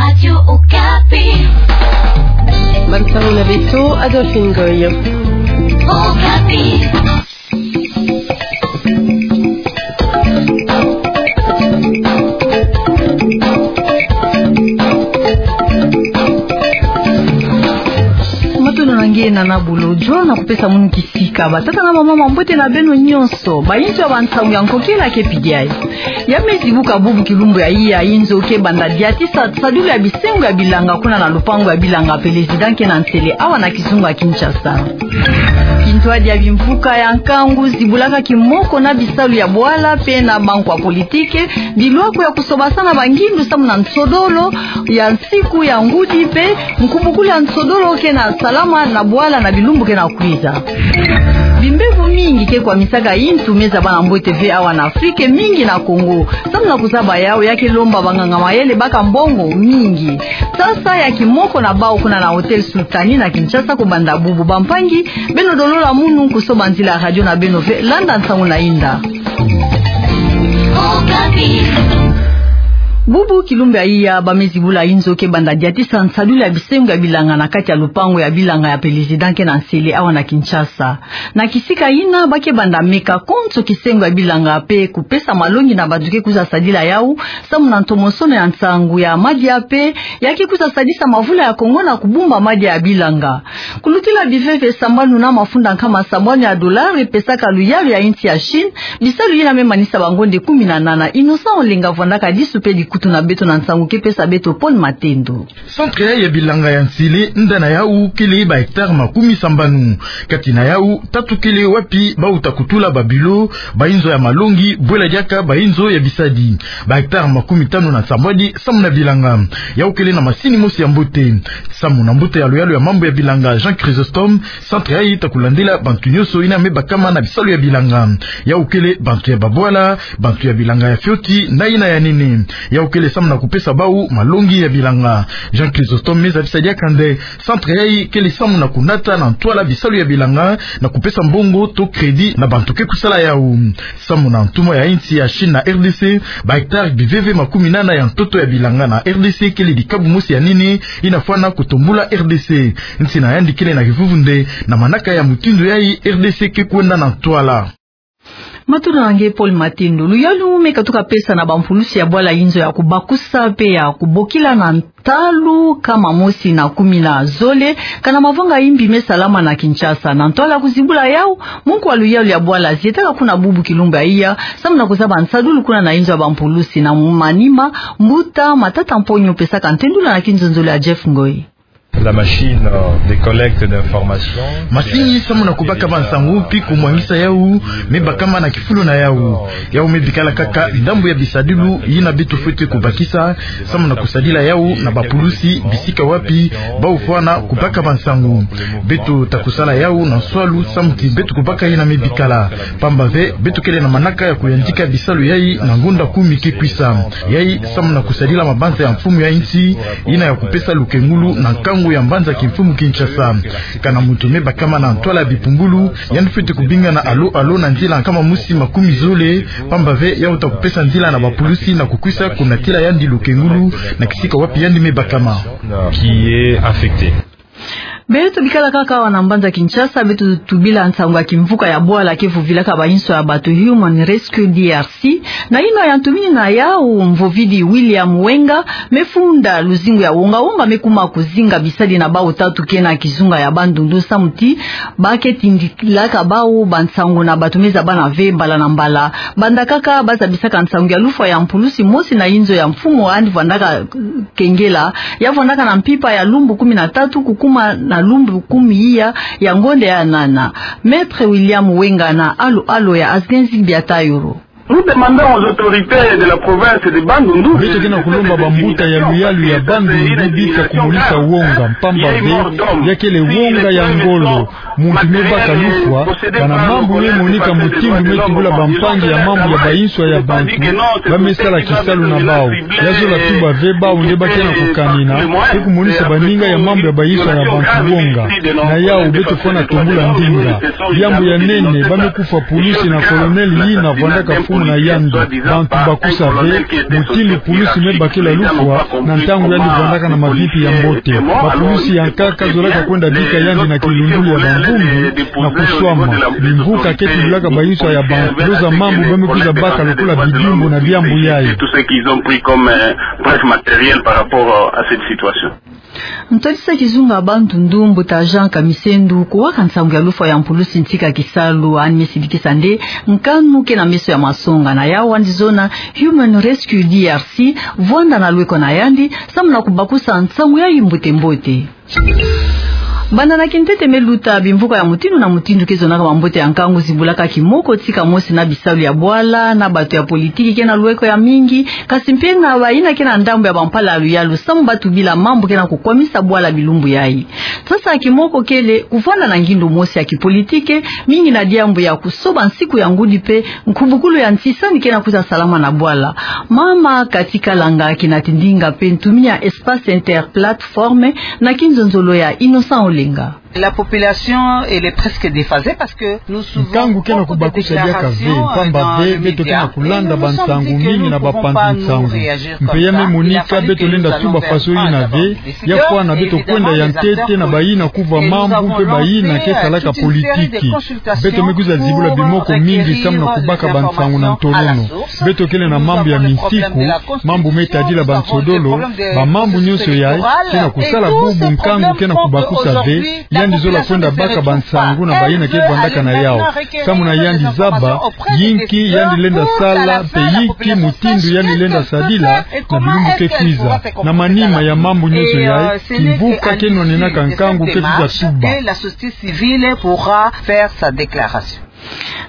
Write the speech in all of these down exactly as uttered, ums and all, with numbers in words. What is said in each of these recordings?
Radio Okapi. Bansango na beto, Adolphine Ngoy. Okapi. Matondo na nge Nana Bolojo, na kupesa munu kisika. Batata na bamama, mbote na beno nyonso. Bayinzo ya bansango ya nkokila ke pidi ayi. Ya me zibuka bubu kilumbu ya iya, inzo ke banda diatisa nsadulu ya bisengo ya bilanga kuna na lupangu ya bilanga Pelezida ke na Nsele awa na kizunga Kinshasa. Kintwadi ya bimvuka ya nkangu zibulaka kimoko na bisalu ya bwala pe na bankwa politike, bilwaku ya kusobasana bangindu samu na nsodolo ya nsiku ya ngudi pe nkubukulu ya nsodolo ke na salama na bwala na bilumbu ke na kwiza. Bimbevo mingi ke kwamisaka yintu me zaba na mbote ve awa na Afrique, mingi na Congo. Samu na kuzaba yawu, ya ke lomba banganga mayele baka mbongo mingi. Sasa ya kimoko na bawu kuna na Hôtel Sultani na Kinshasa. Kubanda bubu, bampangi, beno dolola munu kusoba nzila ya radio na beno ve, landa nsangu na inda. Bubu kilumbu ya iya, ba me zibula inzo ke banda diatisa nsadulu ya bisengo ya bilanga na kati ya lupangu ya bilanga ya Pelezida ke na Nsele awa na Kinshasa. Na kisika yina, ba ke banda meka konso kisengo ya bilanga pe kupesa malongi na bato ke kwiza sadila yawu, samu na ntomosono ya nsangu ya madia pe ya ke kwiza sadisa mavula ya Congo na kubumba madia ya bilanga. Kulutila biveve sambanu na mafunda nkama sambanu ya dolari pesaka luyalu ya insi ya Chine, bisalu yina me manisa bangonde kumi na nana. Innocent Olenga vwandaka disu pe dikutu na beto na nsangu ke pesa beto Paul Matendo. Centre ya bilanga ya Nsele, nda na yawu kele ba hectare makumi sambanu. Kati na yawu, tatu kele wapi ba uta kutula ba bureau, ba inzo ya malongi, bwela diaka ba inzo ya bisadi. Ba hectare makumi tanu na nsambwadi samu na bilanga. Yawu kele na masini mosi ya mbote. Samu na mbote ya luyalu ya mambu ya bilanga Jean Chrysostome, centre yayi ta kulandila bantu nyonso yina me bakama na bisalu ya bilanga. Yawu kele bantu ya babwala, bantu ya bilanga ya fioti na yina ya nene. Yawu kele samu na kupesa bawu malongi ya bilanga. Jean Chrysostome me zabisa diaka nde centre yayi kele samu na kunata na ntwala bisalu ya bilanga na kupesa mbongo to crédit na bantu ke kusala yawu. Samu na ntumwa ya insi ya Chine na R D C, ba hectare biveve makumi nana ya ntoto ya bilanga na R D C kele dikabu mosi ya nene yina fwana kutombula R D C. Nsi na yandi kele na kivuvu nde na manaka ya mutindu yayi R D C ke kwenda na ntwala. Matondo na nge Paul Matendo. Luyalu me katuka pesa na bampulusi ya bwala inzo ya kubakusa pe ya kubokila na ntalu kama mosi na kumi na zole, kana mavanga imbi me salama na Kinshasa. Na ntwala kuzibula yawu, munku wa luyalu ya bwala zietaka kuna bubu kilumbu ya iya, samu na kuzaba nsadulu kuna na inzo ya bampulusi. Na manima, mbuta Matata Mponyo pesaka ntendula na kinzonzolo ya Jeff Ngoy. La machine, euh, de collecte d'information. Masini samu na kubaka bansangu, pi kumwangisa yawu, me bakama na kifulu na yawu. Yawu me bikala kaka ndambu ya bisadilu yina beto fwete kubakisa, samu na kusadila yawu na bapulusi bisika wapi bawu fwana kubaka bansangu. Beto ta kusala yawu na nswalu samu ti beto kubaka yina me bikala. Pamba ve, beto kele na manaka ya kuyandika bisalu yayi na ngonda kumi ke kwisa. Yayi samu na kusadila mabanza ya mfumu ya insi, yina ya kupesa lukengulu na nkangu ya mbanza kimfumu Kinshasa. Kana muntu me bakama na ntwala ya bipumbulu, yandi fwete kubinga na alo alo na nzila nkama mosi makumi zole, pamba ve yawu ta kupesa nzila na bapulusi na kukwisa kunatila yandi lukengulu na kisika wapi yandi me bakama. Qui est affecté. Beto bikala kaka awa na mbanza Kinshasa, beto tubila nsangu ya kimvuka ya bwala ke vuvilaka bainso ya bato, Human Rescue D R C. Na yino ya ntumini na yawu, mvovidi William Wenga me funda luzingu ya wonga-wonga me kuma kuzinga bisadi na bawu tatu ke na kizunga ya Bandundu samu ti ba ke tindilaka bawu bansangu na bato me zabana ve mbala na mbala. Banda kaka ba zabisaka nsangu ya lufwa ya mpulusi mosi na inzo ya mfumu yandi vwandaka kengela, ya vwandaka na mpimpa ya lumbu kumi na tatu kukuma na lumbu kumi iya ya ngonda ya nana. Maître William Wenga na alo-alo ya Asgenzi Biatayoro. Nous demandons aux autorités de la province de Bandundu. Beto ke na kulomba bambuta ya luyalu ya Bandundu bika kumonisa wonga, mpamba ve ya kele wonga ya ngolo. Muntu me baka lufwa, kana mambu me monika mutindu me tubula bampangi ya mambu ya bainso ya bantu ba me sala kisalu na bawu. Ya zola tuba ve bawu nde ba ke na kukanina, pe kumonisa baninga ya mambu ya bainso ya bantu wonga. Na yawu beto fwana tombula ndinga. Diambu ya nene, ba me kufwa pulusi na colonel yina vwandaka na yandi. Bantu bakusa ve mutindu pulusi me bakila lufwa na ntangu yandi vandaka na mavimpi ya mbote. Bapulusi ya nkaka zolaka kwenda bika yandi na kilundulu ya bangungu na kuswama. Bimvuka ke tululaka bayinso ya bantu. Loza mambu ba me kwiza baka lokola bidimbu na diambu yayi. Ntwadisa kizunga bantu ndu mbuta Jean Kamisendu, kuwaka nsangu ya lufwa ya mpulusi ntika kisalu, ani me sidikisa nde nkanu ke na meso ya masonga na yawu andi zona Human Rescue D R C, vwanda na lweko na yandi, samu na kubakusa nsangu yayi mbote mbote. Banda na kintete me luta, bimvuka ya mutindu na mutindu ke zonaka mambote ya nkangu zibulaka kimoko tika mosi na bisalu ya bwala, na bato ya politiki ke na lweko ya mingi, kasi mpe na bayina ke na ndambu ya bampala ya luyalu, samu ba tubila mambu ke na kukwamisa bwala bilumbu yayi. Sasa kimoko kele kuvwanda na ngindu mosi ya kipolitike, mingi na diambu ya kusoba nsiku ya ngudi mpe nkubukulu ya ntisani ke na kwiza salama na bwala. Mama Cathy Kalanga kina tindinga mpe ntumini ya Espace Interplateforme na kinzonzolo ya Innocent Olenga. La population, elle est presque déphasée parce que nous souvent... Nkangu ke na kubakusa diaka ve, mpamba ve beto ke na kulanda bansangu mingi na bapanzi nsangu. Mpe ya me monika beto lenda tuba faso yina ve, ya fwana beto kwenda ya ntete na bayina kuva mambu mpe bayina ke salaka politiki. Beto me kwiza zibula bimoko mingi samu na kubaka bansangu na ntolono. Beto kele na mambu ya minsiku, mambu me tadila bansodolo, bamambu nyonso yayi ke na kusala bubu nkangu ke na kubakusa ve, yandi zola kwenda baka bansangu na bayina ke vwandaka na yawu. Samu na yandi zaba yinki yandi lenda sala, mpe yinki mutindu yandi lenda sadila na bilumbu ke kwiza. Na manima ya mambu nyonso yayi, kimvuka ke nwanenaka nkangu ke kwiza tuba.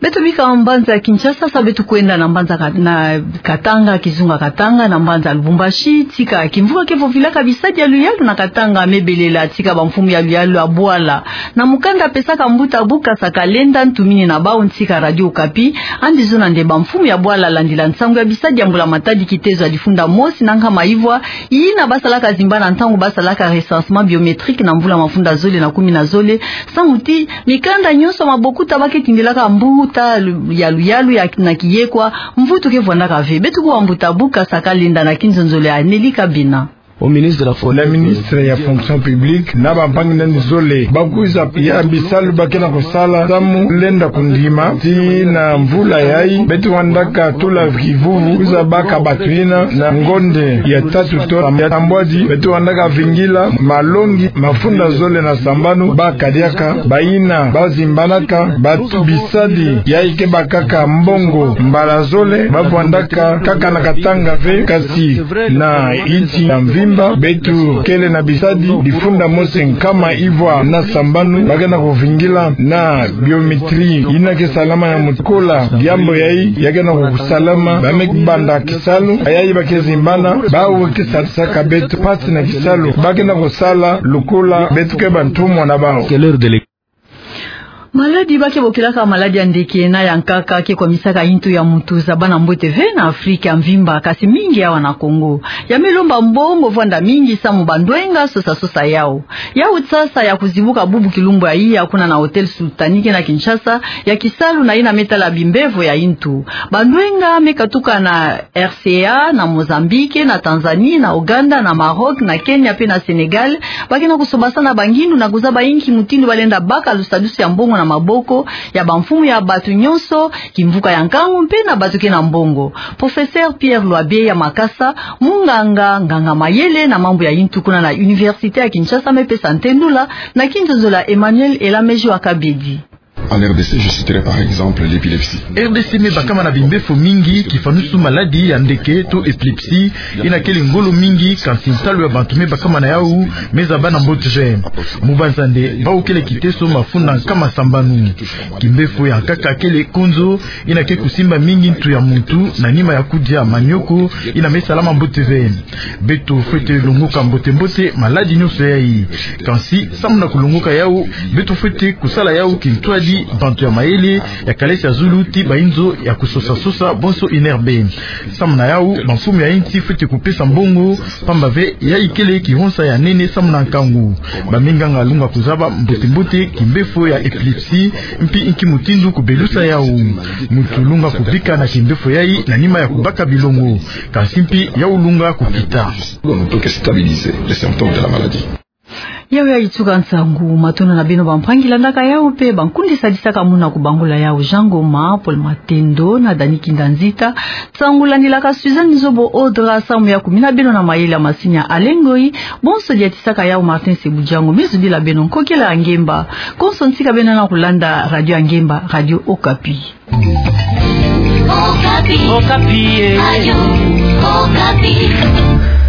Beto bika mbanza Kinshasa, sa beto kwenda na mbanza Ka-, na Katanga, kizunga Katanga, na mbanza Lubumbashi, tika kimvuka ke vovilaka bisadi ya luyalu na Katanga me belela tika bamfumu ya luyalu ya bwala. Na mukanda pesaka mbuta Bukasa Kalenda, ntumini na bawu ntika Radio Okapi, andi zona nde bamfumu ya bwala landila nsangu ya bisadi ya mbula matadi kitezo ya difunda mosi na nkama ivwa, yina ba salaka zimbana ntangu ba salaka recensement biométrique na mvula mafunda zole na kumi na zole, samu ti mikanda nyonso ya mabokuta ba ke tindilaka mbuta lu-, ya luyalu ya na kiyekwa, mvutu ke vwandaka ve. Beto kuwa mbuta Bukasa Kalenda na kinzonzolo ya Nelly Kabena. Au ministre de la Fonction... Na ministre ya Fonction publique na bampangi na yandi zole, ba kwiza ya bisalu ba ke na kusala samu lenda kundima ti na mvula yayi beto vandaka tula kivuvu, kwiza baka bato yina na ngonde ya tatu to ya tambwadi, beto vandaka vingila malongi mafunda zole na sambanu, ba kadiaka bayina ba zimbanaka bato bisadi yayi ke bakaka mbongo mbala zole, ba vandaka kaka na Katanga ve, kasi na insi ya mvimba. Beto kele na bisadi difunda mosi nkama ivwa na sambanu ba ke na kuvingila na biométrie yina ke salama ya mutu. Kola diambu yayi ya ke na kusalama, ba me banda kisalu, yayi ba ke zimbana, bawu ke sadisaka beto mpasi na kisalu ba ke na kusala, lokola beto ke bantumwa na bawu. Maladi ba ke bokilaka maladi ya ndeke na ya nkaka ke kwamisaka yintu ya mutu, za bana mbote ve na Afrika ya mvimba, kasi mingi awa na Kongo. Ya me lomba mbongo vwanda mingi samu bandwenga sosa sosa yawu. Yawu sasa ya kuzibuka bubu kilumbu ya iya kuna na Hôtel Sultanique na Kinshasa, ya kisalu na yina me tala bimbevo ya yintu. Bandwenga me katuka na R C A, na Mozambique, na Tanzanie, na Ouganda, na Maroc, na Kenya mpe na Sénégal, ba ke na kusobasana bangindu na kuzaba yinki mutindu ba lenda baka lusadusu ya mbongo na maboko ya bamfumu ya bato nyonso, kimvuka ya nkangu mpe na bato ke na mbongo. Professeur Pierre Loibe ya Makasa, munganga, nganga mayele na mambu ya yintu kuna na Université ya Kinshasa, me pesa ntendula na kinzonzolo ya Emmanuel Elameji wa Kabedi. En R D C, je citerai par exemple l'épilepsie. R D C me bakama na bimbefo mingi, kifanusu maladi ya ndeke to epilepsie, yina kele ngolo mingi, kansi nsalu ya bantu me bakama na yawu me zaba na mbote ve. Mubanza nde bawu kele kiteso mafunda nkama sambanu. Kimbefo ya nkaka kele konzo, yina ke kusimba mingi ntu ya mutu na nima ya kudia manioko, yina me salama mbote ve. Beto fwete longoka mbote mbote maladi nyonso yayi. Kansi samu na kulongoka yawu, beto fwete kusala yawu kintwadi Bantu ya mayele ya kalasi ya zulu ti bainzo ya kusosa-sosa bonso I N R B. Samu na yau, bamfumu ya insi fweti kupesa mbongo, pamba ve yayi kele kihonsa ya nene samu na nkangu. Baminganga lunga kuzaba mbote-mbote kimbefo ya epilepsie, mpi nki mutindu kubelusa yau. Muntu lunga kubika na kimbefo yayi na nima ya kubaka bilongo. Kansi mpi yau lunga kukita. Yau yayi tuka nsangu. Matondo na beno bampangi landaka yau mpe bankundi sadisaka muna kubangula yau: Jean Ngoma, Paul Matendo na Dani Kinda Nzita. Nsangu landilaka Suzanne Nzobo Audra, samu ya kumina beno na mayele ya masini ya Alain Ngoyi. Bonso diatisaka yau Martin Sebudjango. Mizubila beno nkokela ya ngemba. Konso ntika beno na kulanda radio ya ngemba, Radio Okapi. Okapi. Okapi, eh. Radio Okapi.